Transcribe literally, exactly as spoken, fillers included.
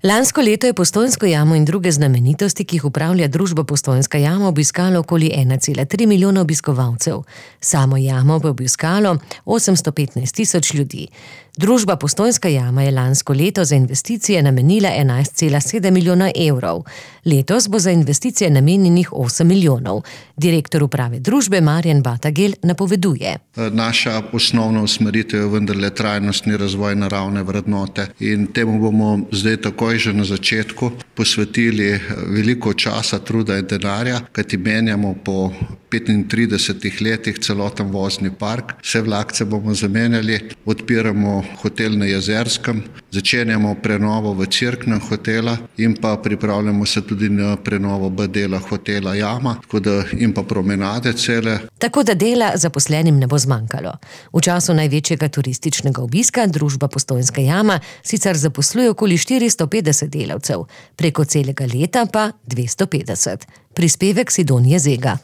Lansko leto je Postojnsko jamo in druge znamenitosti, ki jih upravlja družba Postojnska jama, obiskalo okoli ena cela tri milijona obiskovalcev. Samo jamo bo obiskalo osemsto petnajst tisoč ljudi. Družba Postojnska jama je lansko leto za investicije namenila enajst cela sedem milijona evrov. Letos bo za investicije namenjenih osem milijonov. Direktor uprave družbe Marjan Batagel napoveduje. Naša osnovna usmeritev je vendarle trajnostni razvoj naravne vrednote in temu bomo zdaj takoj že na začetku posvetili veliko časa, truda in denarja, kajti menjamo po petintridesetih letih celoten vozni park. Vse vlakce bomo zamenjali, odpiramo hotel na Jezerskem, začenjamo prenovo v Cerknem hotela in pa pripravljamo se tudi na prenovo B dela hotela Jama, tako da in pa promenade cele. Tako da dela zaposlenim ne bo zmanjkalo. V času največjega turističnega obiska družba Postojnska jama sicer zaposluje okoli štiristo petdeset delavcev, preko celega leta pa dvesto petdeset. Prispevek Sidonije Zega.